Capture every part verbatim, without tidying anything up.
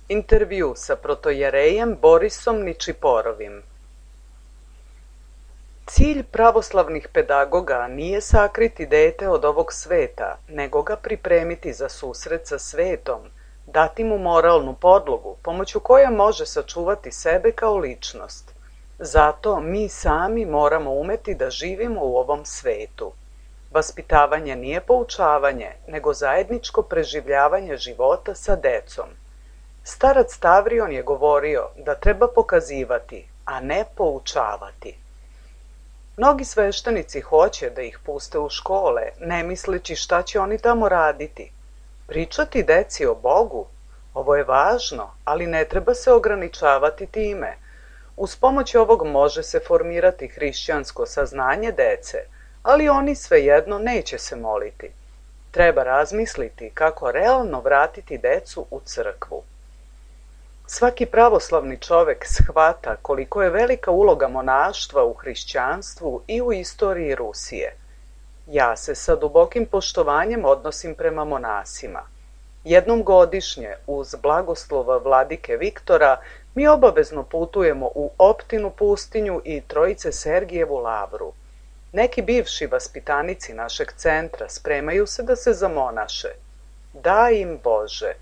Intervju sa protojerejem Borisom Ničiporovim. Cilj pravoslavnih pedagoga nije sakriti dete od ovog sveta, nego ga pripremiti za susret sa svetom, dati mu moralnu podlogu, pomoću koje može sačuvati sebe kao ličnost. Zato mi sami moramo umeti da živimo u ovom svetu. Vaspitavanje nije poučavanje, nego zajedničko preživljavanje života sa decom. Starac Tavrion je govorio da treba pokazivati, a ne poučavati. Mnogi sveštenici hoće da ih puste u škole, ne misleći šta će oni tamo raditi. Pričati deci o Bogu, ovo je važno, ali ne treba se ograničavati time. Uz pomoć ovog može se formirati hrišćansko saznanje dece, ali oni svejedno neće se moliti. Treba razmisliti kako realno vratiti decu u crkvu. Svaki pravoslavni čovek shvata koliko je velika uloga monaštva u hrišćanstvu i u istoriji Rusije. Ja se sa dubokim poštovanjem odnosim prema monasima. Jednom godišnje, uz blagoslova vladike Viktora, mi obavezno putujemo u Optinu pustinju i Trojice Sergijevu lavru. Neki bivši vaspitanici našeg centra spremaju se da se zamonaše. Daj im Bože!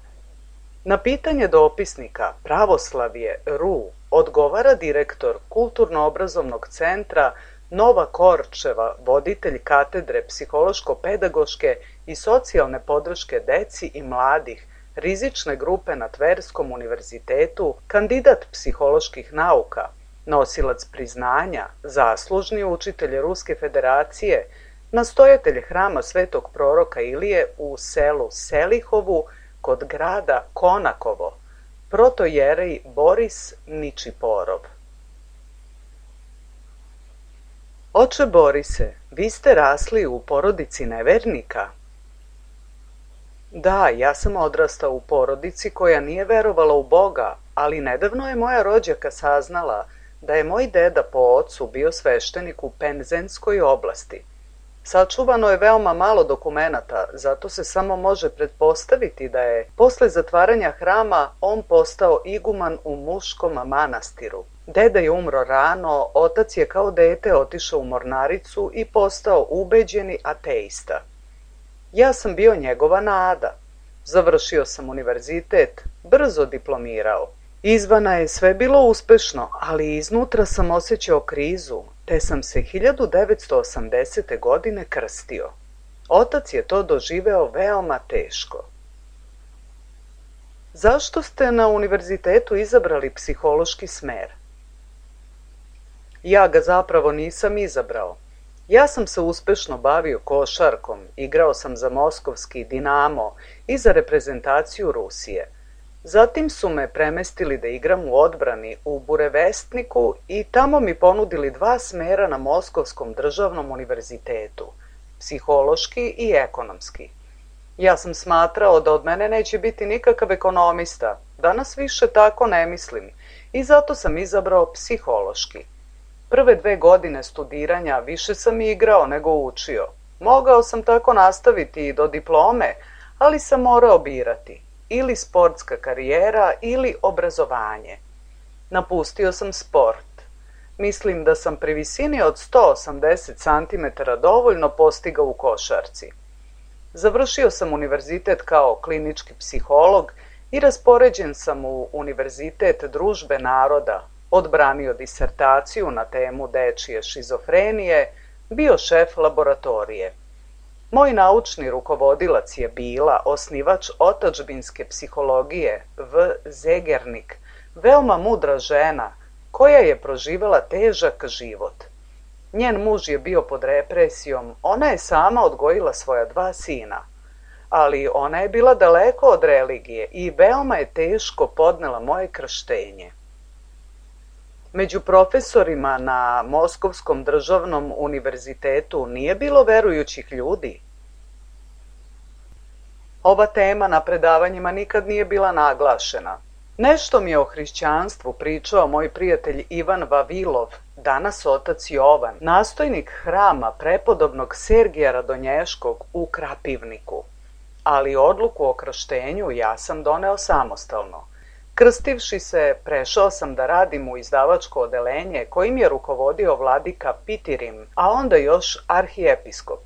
Na pitanje dopisnika Pravoslavje Ru odgovara direktor Kulturno-obrazovnog centra Nova Korčeva, voditelj katedre psihološko-pedagoške i socijalne podrške deci i mladih, rizične grupe na Tverskom univerzitetu, kandidat psiholoških nauka, nosilac priznanja, zaslužni učitelj Ruske federacije, nastojatelj hrama Svetog proroka Ilije u selu Selihovu, kod grada Konakovo, protojerej Boris Ničiporov. Oče Borise, vi ste rasli u porodici nevernika? Da, ja sam odrastao u porodici koja nije verovala u Boga, ali nedavno je moja rođaka saznala da je moj deda po ocu bio sveštenik u Penzenskoj oblasti. Sačuvano je veoma malo dokumenata, zato se samo može pretpostaviti da je posle zatvaranja hrama on postao iguman u muškom manastiru. Deda je umro rano, otac je kao dete otišao u mornaricu i postao ubeđeni ateista. Ja sam bio njegova nada. Završio sam univerzitet, brzo diplomirao. Izvana je sve bilo uspešno, ali iznutra sam osjećao krizu, te sam se hiljadu devetsto osamdesete. godine krstio. Otac je to doživeo veoma teško. Zašto ste na univerzitetu izabrali psihološki smer? Ja ga zapravo nisam izabrao. Ja sam se uspešno bavio košarkom, igrao sam za moskovski Dinamo i za reprezentaciju Rusije. Zatim su me premestili da igram u odbrani u Burevestniku i tamo mi ponudili dva smera na Moskovskom državnom univerzitetu, psihološki i ekonomski. Ja sam smatrao da od mene neće biti nikakav ekonomista, danas više tako ne mislim i zato sam izabrao psihološki. Prve dve godine studiranja više sam igrao nego učio. Mogao sam tako nastaviti i do diplome, ali sam morao birati. Ili sportska karijera ili obrazovanje. Napustio sam sport. Mislim da sam pri visini od sto osamdeset centimetara dovoljno postigao u košarci. Završio sam univerzitet kao klinički psiholog i raspoređen sam u Univerzitet družbe naroda, odbranio disertaciju na temu dečije šizofrenije, bio šef laboratorije. Moj naučni rukovodilac je bila osnivač otadžbinske psihologije V. Zegernik, veoma mudra žena koja je proživela težak život. Njen muž je bio pod represijom, ona je sama odgojila svoja dva sina, ali ona je bila daleko od religije i veoma je teško podnela moje krštenje. Među profesorima na Moskovskom državnom univerzitetu nije bilo verujućih ljudi. Ova tema na predavanjima nikad nije bila naglašena. Nešto mi je o hrišćanstvu pričao moj prijatelj Ivan Vavilov, danas otac Jovan, nastojnik hrama prepodobnog Sergija Radonješkog u Krapivniku. Ali odluku o krštenju ja sam doneo samostalno. Krstivši se, prešao sam da radim u izdavačko odelenje kojim je rukovodio vladika Pitirim, a onda još arhijepiskop.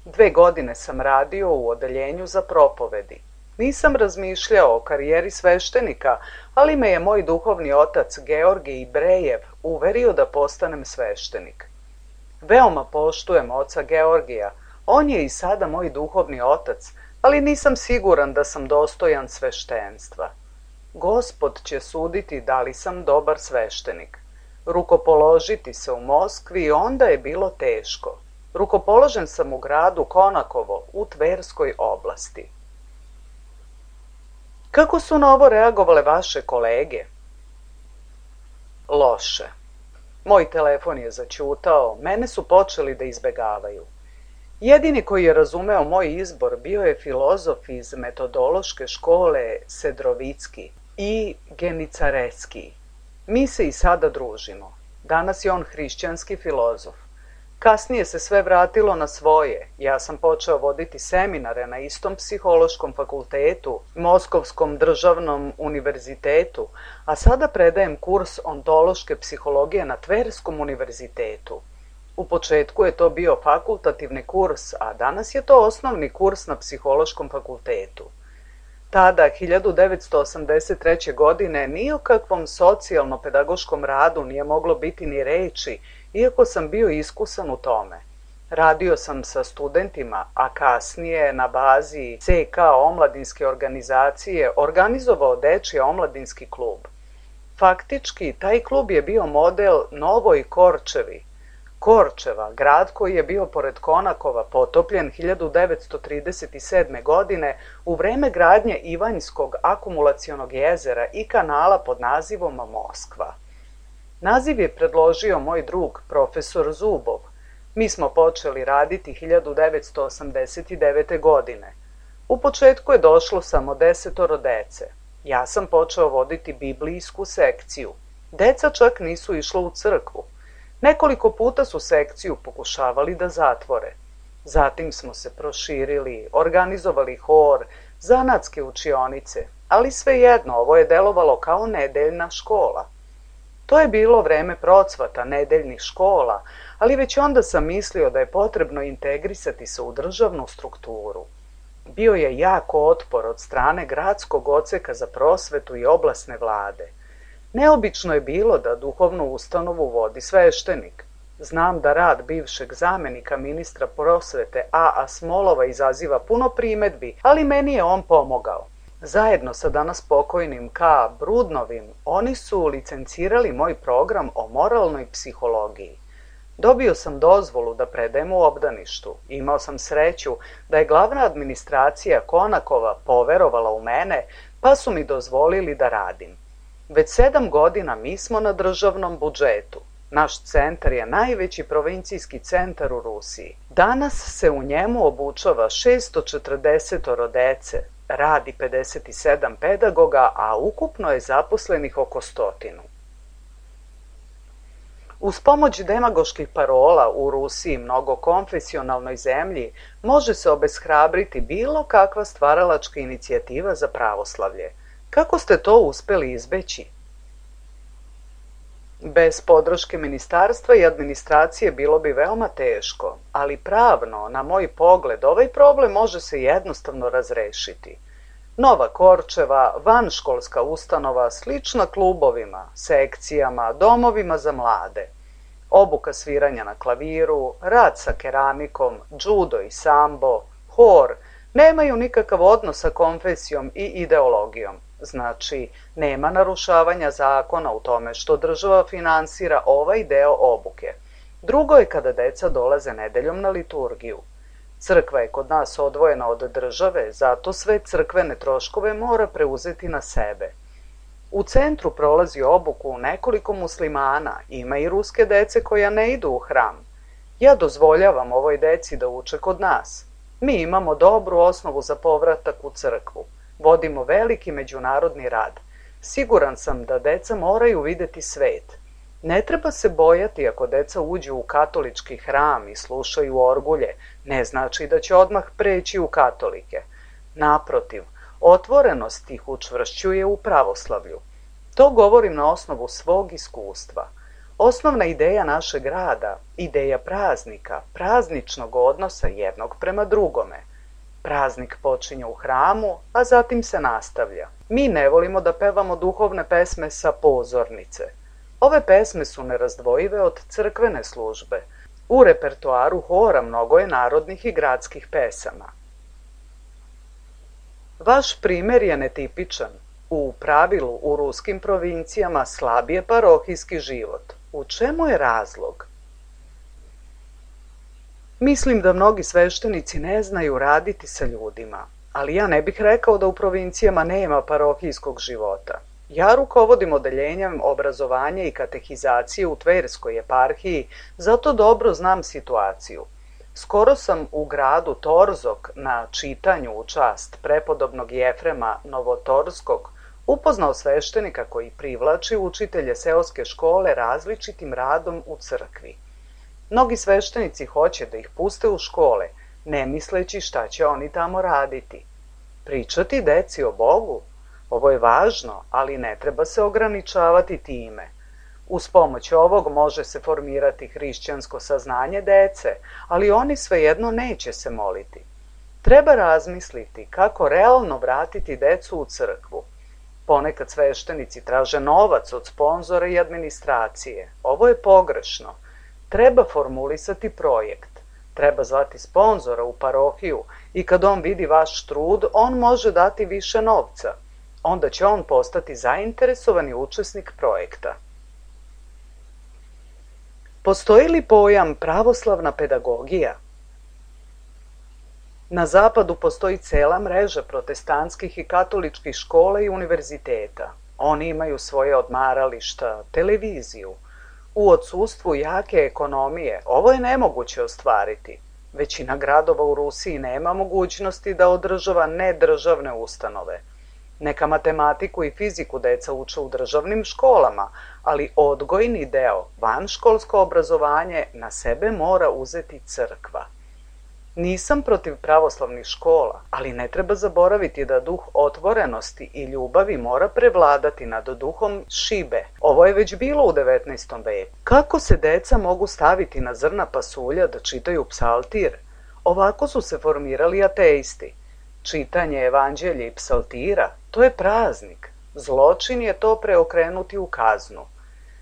Dve godine sam radio u odeljenju za propovedi. Nisam razmišljao o karijeri sveštenika, ali me je moj duhovni otac Georgij Brejev uverio da postanem sveštenik. Veoma poštujem oca Georgija, on je i sada moj duhovni otac, ali nisam siguran da sam dostojan sveštenstva. Gospod će suditi da li sam dobar sveštenik. Rukopoložiti se u Moskvi onda je bilo teško. Rukopoložen sam u gradu Konakovo u Tverskoj oblasti. Kako su na ovo reagovale vaše kolege? Loše. Moj telefon je zaćutao, mene su počeli da izbegavaju. Jedini koji je razumeo moj izbor bio je filozof iz metodološke škole Sedrovicki i Genicareski. Mi se i sada družimo. Danas je on hrišćanski filozof. Kasnije se sve vratilo na svoje. Ja sam počeo voditi seminare na istom psihološkom fakultetu, Moskovskom državnom univerzitetu, a sada predajem kurs ontološke psihologije na Tverskom univerzitetu. U početku je to bio fakultativni kurs, a danas je to osnovni kurs na psihološkom fakultetu. Tada, hiljadu devetsto osamdeset treće. godine, ni o kakvom socijalno-pedagoškom radu nije moglo biti ni reči, iako sam bio iskusan u tome. Radio sam sa studentima, a kasnije na bazi C K omladinske organizacije organizovao dečji omladinski klub. Faktički, taj klub je bio model Novoj Korčevi. Korčeva, grad koji je bio pored Konakova, potopljen hiljadu devetsto trideset sedme. godine u vreme gradnje Ivanjskog akumulacionog jezera i kanala pod nazivom Moskva. Naziv je predložio moj drug, profesor Zubov. Mi smo počeli raditi hiljadu devetsto osamdeset devete. godine. U početku je došlo samo desetoro dece. Ja sam počeo voditi biblijsku sekciju. Deca čak nisu išla u crkvu. Nekoliko puta su sekciju pokušavali da zatvore. Zatim smo se proširili, organizovali hor, zanatske učionice, ali svejedno ovo je delovalo kao nedeljna škola. To je bilo vreme procvata nedeljnih škola, ali već onda sam mislio da je potrebno integrisati se u državnu strukturu. Bio je jako otpor od strane gradskog odseka za prosvetu i oblasne vlade. Neobično je bilo da duhovnu ustanovu vodi sveštenik. Znam da rad bivšeg zamenika ministra prosvete A A Smolova izaziva puno primedbi, ali meni je on pomogao. Zajedno sa danas pokojnim K Brudnovim, oni su licencirali moj program o moralnoj psihologiji. Dobio sam dozvolu da predajem u obdaništu. Imao sam sreću da je glavna administracija Konakova poverovala u mene, pa su mi dozvolili da radim. Već sedam godina mi smo na državnom budžetu. Naš centar je najveći provincijski centar u Rusiji. Danas se u njemu obučava šesto četrdeset dece, radi pedeset sedam pedagoga, a ukupno je zaposlenih oko stotinu. Uz pomoć demagoških parola u Rusiji, mnogokonfesionalnoj zemlji, može se obeshrabriti bilo kakva stvaralačka inicijativa za pravoslavlje. Kako ste to uspeli izbeći? Bez podrške ministarstva i administracije bilo bi veoma teško, ali pravno, na moj pogled, ovaj problem može se jednostavno razrešiti. Nova Korčeva, vanškolska ustanova, slična klubovima, sekcijama, domovima za mlade. Obuka sviranja na klaviru, rad sa keramikom, džudo i sambo, hor, nemaju nikakav odnos sa konfesijom i ideologijom. Znači, nema narušavanja zakona u tome što država finansira ovaj deo obuke. Drugo je kada deca dolaze nedeljom na liturgiju. Crkva je kod nas odvojena od države, zato sve crkvene troškove mora preuzeti na sebe. U centru prolazi obuku nekoliko muslimana, ima i ruske dece koja ne idu u hram. Ja dozvoljavam ovoj deci da uče kod nas. Mi imamo dobru osnovu za povratak u crkvu. Vodimo veliki međunarodni rad. Siguran sam da deca moraju videti svet. Ne treba se bojati ako deca uđu u katolički hram i slušaju orgulje, ne znači da će odmah preći u katolike. Naprotiv, Otvorenost ih učvršćuje u pravoslavlju. To govorim na osnovu svog iskustva. Osnovna ideja našeg rada, ideja praznika, prazničnog odnosa jednog prema drugome. Praznik počinje u hramu, a zatim se nastavlja. Mi ne volimo da pevamo duhovne pesme sa pozornice. Ove pesme su nerazdvojive od crkvene službe. U repertoaru hora mnogo je narodnih i gradskih pesama. Vaš primer je netipičan. U pravilu u ruskim provincijama slab je parohijski život. U čemu je razlog? Mislim da mnogi sveštenici ne znaju raditi sa ljudima, ali ja ne bih rekao da u provincijama nema parohijskog života. Ja rukovodim odeljenjem obrazovanja i katehizacije u Tverskoj eparhiji, zato dobro znam situaciju. Skoro sam u gradu Torzok na čitanju u čast prepodobnog Jefrema Novotorskog upoznao sveštenika koji privlači učitelje seoske škole različitim radom u crkvi. Mnogi sveštenici hoće da ih puste u škole, ne misleći šta će oni tamo raditi. Pričati deci o Bogu? Ovo je važno, ali ne treba se ograničavati time. Uz pomoć ovog može se formirati hrišćansko saznanje dece, ali oni svejedno neće se moliti. Treba razmisliti kako realno vratiti decu u crkvu. Ponekad sveštenici traže novac od sponzora i administracije. Ovo je pogrešno. Treba formulisati projekt. Treba zvati sponzora u parohiju i kad on vidi vaš trud, on može dati više novca. Onda će on postati zainteresovani učesnik projekta. Postoji li pojam pravoslavna pedagogija? Na zapadu postoji cela mreža protestantskih i katoličkih škola i univerziteta. Oni imaju svoje odmarališta, televiziju. U odsustvu jake ekonomije ovo je nemoguće ostvariti. Većina gradova u Rusiji nema mogućnosti da održava nedržavne ustanove. Neka matematiku i fiziku deca uče u državnim školama, ali odgojni deo, vanškolsko obrazovanje, na sebe mora uzeti crkva. Nisam protiv pravoslavnih škola, ali ne treba zaboraviti da duh otvorenosti i ljubavi mora prevladati nad duhom šibe. Ovo je već bilo u devetnaestom veku. Kako se deca mogu staviti na zrna pasulja da čitaju psaltir? Ovako su se formirali ateisti. Čitanje evanđelja i psaltira, to je praznik. Zločin je to preokrenuti u kaznu.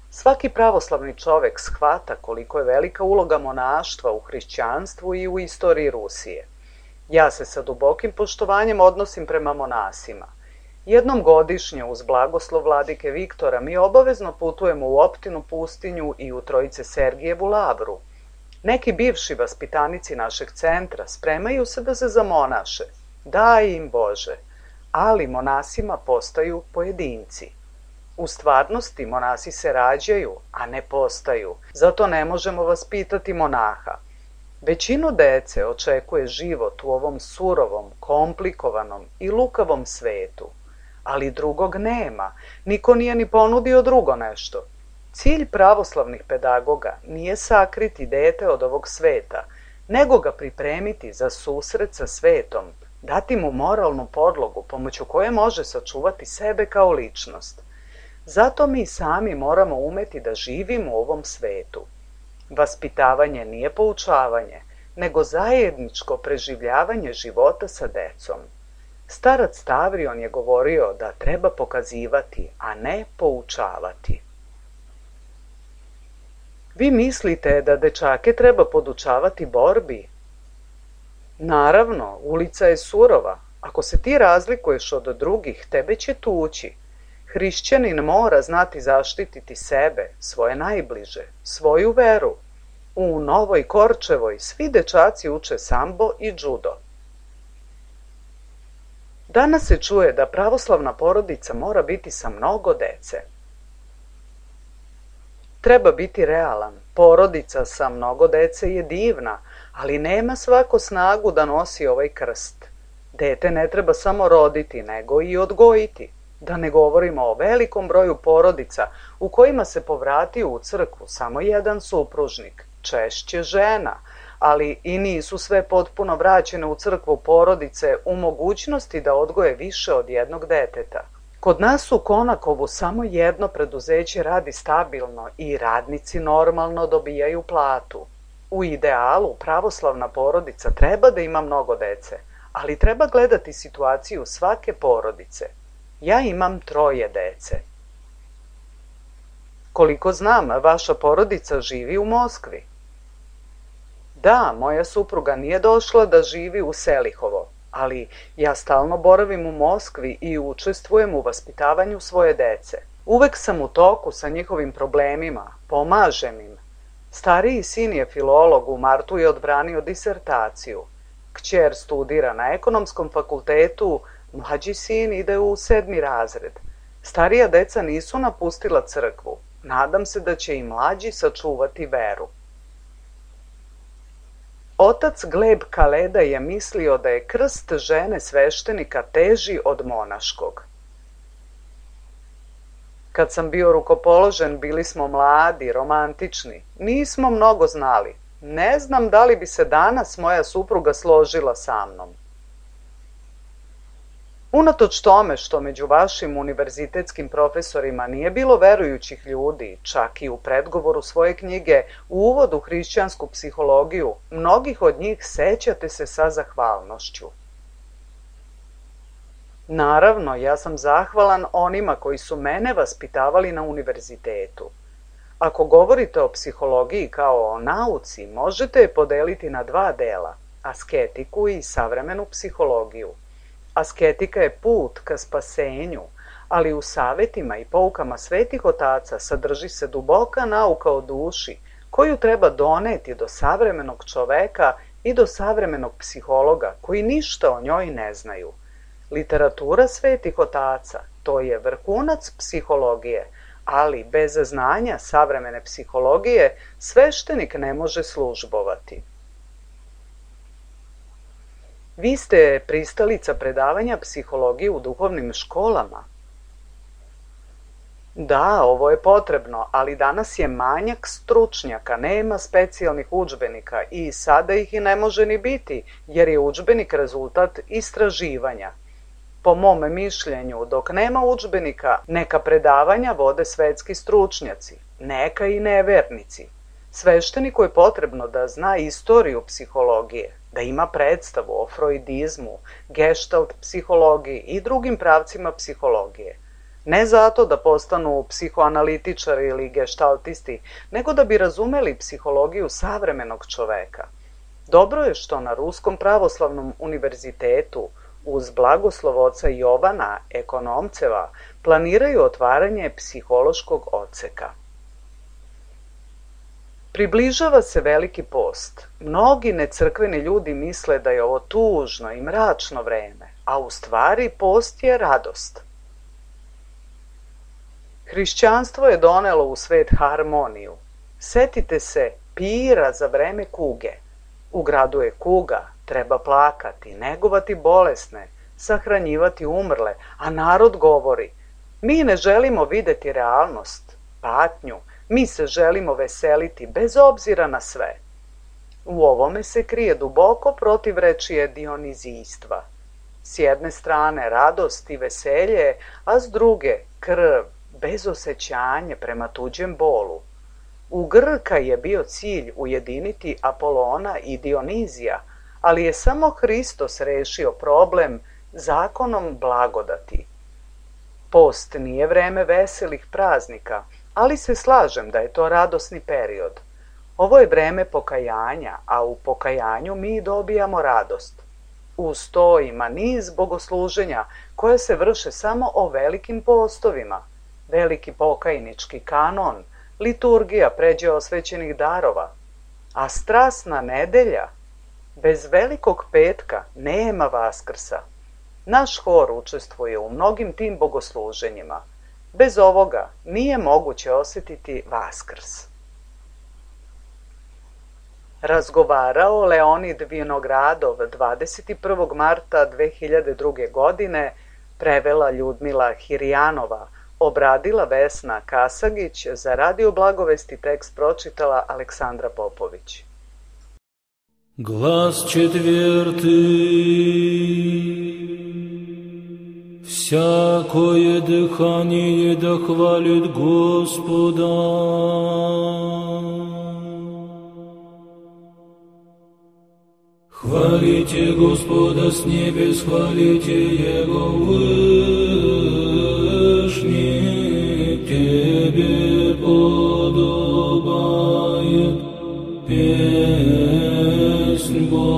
Svaki pravoslavni čovek shvata koliko je velika uloga monaštva u hrišćanstvu i u istoriji Rusije. Ja se sa dubokim poštovanjem odnosim prema monasima. Jednom godišnje uz blagoslov vladike Viktora mi obavezno putujemo u Optinu pustinju i u Trojice Sergijevu lavru. Neki bivši vaspitanici našeg centra spremaju se da se zamonaše. Daj im Bože, ali monasima postaju pojedinci. U stvarnosti monasi se rađaju, a ne postaju, zato ne možemo vaspitati monaha. Većinu dece očekuje život u ovom surovom, komplikovanom i lukavom svetu, ali drugog nema, niko nije ni ponudio drugo nešto. Cilj pravoslavnih pedagoga nije sakriti dete od ovog sveta, nego ga pripremiti za susret sa svetom, dati mu moralnu podlogu pomoću koje može sačuvati sebe kao ličnost. Zato mi sami moramo umeti da živimo u ovom svetu. Vaspitavanje nije poučavanje, nego zajedničko preživljavanje života sa decom. Starac Stavrion je govorio da treba pokazivati, a ne poučavati. Vi mislite da dečake treba podučavati borbi? Naravno, ulica je surova. Ako se ti razlikuješ od drugih, tebe će tući. Hrišćanin mora znati zaštititi sebe, svoje najbliže, svoju veru. U Novoj Korčevoj svi dečaci uče sambo i džudo. Danas se čuje da pravoslavna porodica mora biti sa mnogo dece. Treba biti realan. Porodica sa mnogo dece je divna, ali nema svako snagu da nosi ovaj krst. Dete ne treba samo roditi, nego i odgojiti. Da ne govorimo o velikom broju porodica u kojima se povratio u crkvu samo jedan supružnik. češće žena, ali i nisu sve potpuno vraćene u crkvu porodice u mogućnosti da odgoje više od jednog deteta. Kod nas u Konakovu samo jedno preduzeće radi stabilno i radnici normalno dobijaju platu. U idealu pravoslavna porodica treba da ima mnogo dece, ali treba gledati situaciju svake porodice. Ja imam troje dece. Koliko znam, vaša porodica živi u Moskvi. Da, moja supruga nije došla da živi u Selihovo, ali ja stalno boravim u Moskvi i učestvujem u vaspitavanju svoje dece. Uvek sam u toku sa njihovim problemima, pomažem im. Stariji sin je filolog, u martu je odbranio disertaciju. Kćer studira na ekonomskom fakultetu, mlađi sin ide u sedmi razred. Starija deca nisu napustila crkvu. Nadam se da će i mlađi sačuvati veru. Otac Gleb Kaleda je mislio da je krst žene sveštenika teži od monaškog. Kad sam bio rukopoložen, bili smo mladi, romantični. Nismo mnogo znali. Ne znam da li bi se danas moja supruga složila sa mnom. Unatoč tome što među vašim univerzitetskim profesorima nije bilo verujućih ljudi, čak i u predgovoru svoje knjige U uvodu u hrišćansku psihologiju, mnogih od njih sećate se sa zahvalnošću. Naravno, ja sam zahvalan onima koji su mene vaspitavali na univerzitetu. Ako govorite o psihologiji kao o nauci, možete je podeliti na dva dela, asketiku i savremenu psihologiju. Asketika je put ka spasenju, ali u savetima i poukama svetih otaca sadrži se duboka nauka o duši, koju treba doneti do savremenog čoveka i do savremenog psihologa, koji ništa o njoj ne znaju. Literatura svetih otaca, to je vrhunac psihologije, ali bez znanja savremene psihologije sveštenik ne može službovati. Vi ste pristalica predavanja psihologije u duhovnim školama? Da, ovo je potrebno, ali danas je manjak stručnjaka, nema specijalnih udžbenika i sada ih i ne može ni biti, jer je udžbenik rezultat istraživanja. Po mom mišljenju, dok nema udžbenika, neka predavanja vode svetski stručnjaci, neka i nevernici. Svešteniku je potrebno da zna istoriju psihologije, da ima predstavu o freudizmu, gestalt psihologiji i drugim pravcima psihologije. Ne zato da postanu psihoanalitičari ili gestaltisti, nego da bi razumeli psihologiju savremenog čoveka. Dobro je što na Ruskom pravoslavnom univerzitetu uz blagoslov oca Jovana Ekonomceva planiraju otvaranje psihološkog odseka. Približava se Veliki post. Mnogi necrkveni ljudi misle da je ovo tužno i mračno vreme, a u stvari post je radost. Hrišćanstvo je donelo u svet harmoniju. Setite se pira za vreme kuge. U gradu je kuga, treba plakati, negovati bolesne, sahranjivati umrle, a narod govori: mi ne želimo videti realnost, patnju, mi se želimo veseliti bez obzira na sve. U ovome se krije duboko protivrečje dionizijstva. S jedne strane radost i veselje, a s druge krv, bezosećanje prema tuđem bolu. U Grka je bio cilj ujediniti Apolona i Dionizija, ali je samo Hristos rešio problem zakonom blagodati. Post nije vreme veselih praznika, ali se slažem da je to radosni period. Ovo je vreme pokajanja, a u pokajanju mi dobijamo radost. Uz to ima niz bogosluženja koje se vrše samo o velikim postovima, veliki pokajnički kanon, liturgija pređe osvećenih darova, a strasna nedelja, bez velikog petka nema Vaskrsa. Naš hor učestvuje u mnogim tim bogosluženjima. Bez ovoga nije moguće osjetiti Vaskrs. Razgovarao Leonid Vinogradov dvadeset prvog marta dve hiljade druge. godine, prevela Ljudmila Hirjanova Obradila Vesna Kasagić, za Radio Blagovesti tekst pročitala Aleksandra Popović. Глас четвертый. Всякое дыхание да хвалит Господа. Хвалите Господа с небес, хвалите Его вышний, Тебе подобает песнь Богу.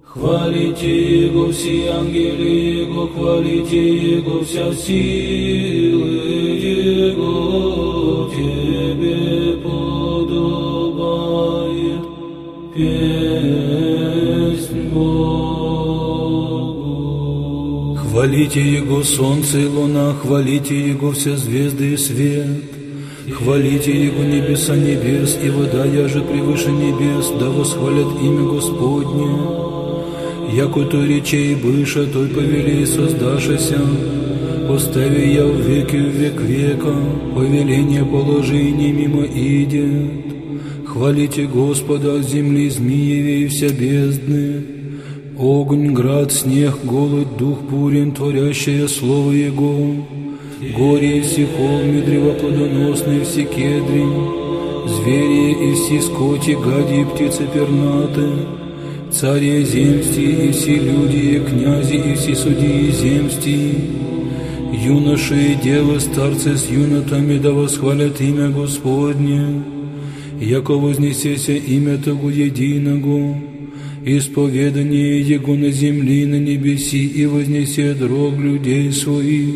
Хвалите Его все ангелы Его, хвалите Его вся силы Его, Тебе подобает песнь Богу. Хвалите Его солнце и луна, хвалите Его все звезды и свет. Хвалите Его небеса небес и вода, яже превыше небес, да восхвалят имя Господне. Яко той речей быша, той повели создашися, постави я в веки в век века, повеление положи не мимо идет. Хвалите Господа от земли змееве и вся бездны, огонь, град, снег, голод, дух бурен, творящее слово Его, горе и все холмы, древа плодоносные, все кедри, звери и все скоти, гади и птицы пернаты, цари земсти и все люди, и князи и все судьи земсти, юноши и девы, старцы с юнотами, да восхвалят имя Господне, яко вознесеся имя Того единого, исповедание Его на земли, на небеси, и вознесет рог людей своих,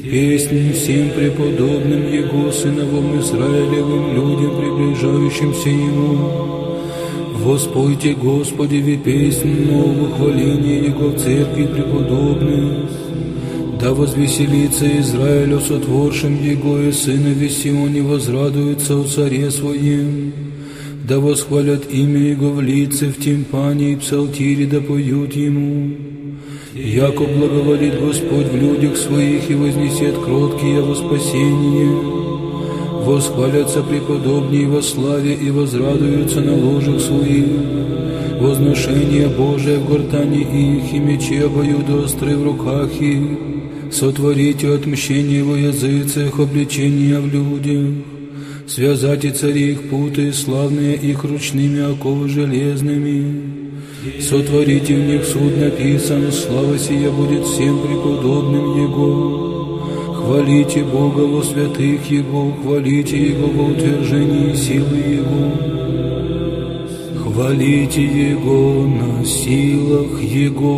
песнь всем преподобным Его, сыновам Израилевым, людям, приближающимся Ему. Воспойте Господеве песнь новую, хваление Его в церкви преподобных. Да возвеселится Израиль о сотворшем Его, и сынове Сионе возрадуются о царе своем. Да восхвалят имя Его в лице, в тимпане и псалтире, да поют Ему. Яко благоволит Господь в людях своих и вознесет кроткие во спасение. Восхвалятся преподобнее во славе и возрадуются на ложах своих. Возношение Божие в гортани их, и мечи обоюдоостры в руках их. Сотворите отмщение во языцах, обличения в людях. Связайте цари их путы, славные их ручными оковы железными. Сотворите в них суд написан, слава сия будет всем преподобным Его. Хвалите Бога во святых Его, хвалите Его во утверждении силы Его. Хвалите Его на силах Его.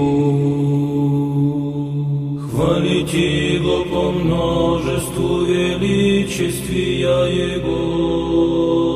Хвалите Его по множеству величествия Его.